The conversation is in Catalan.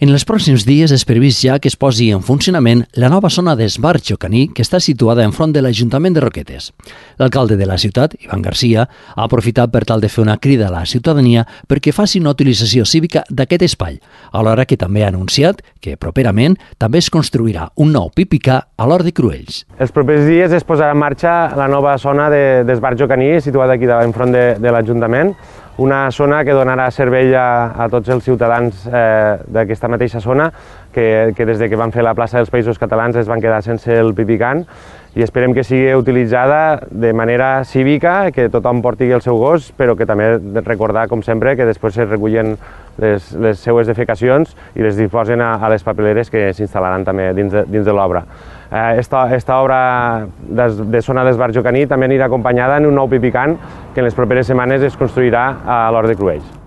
En els pròxims dies és previst ja que es posi en funcionament la nova zona d'esbarjo caní que està situada enfront de l'Ajuntament de Roquetes. L'alcalde de la ciutat, Ivan Garcia, ha aprofitat per tal de fer una crida a la ciutadania perquè faci una utilització cívica d'aquest espai, alhora que també ha anunciat que properament també es construirà un nou pipicà a l'Hort de Cruells. Els propers dies es posarà en marxa la nova zona d'esbarjo caní situada aquí enfront de l'Ajuntament, una zona que donarà servei a tots els ciutadans d'aquesta mateixa zona que des que van fer la plaça dels Països Catalans es van quedar sense el pipicant i esperem que sigui utilitzada de manera cívica, que tothom porti el seu gos, però que també recordar, com sempre, que després es recullen les seues defecacions i les disposen a les papeleres que s'instal·laran també dins de l'obra. Esta obra de zona d'esbarjo caní també anirà acompanyada en un nou pipicant que en les properes setmanes es construirà a l'Hort de Cruells.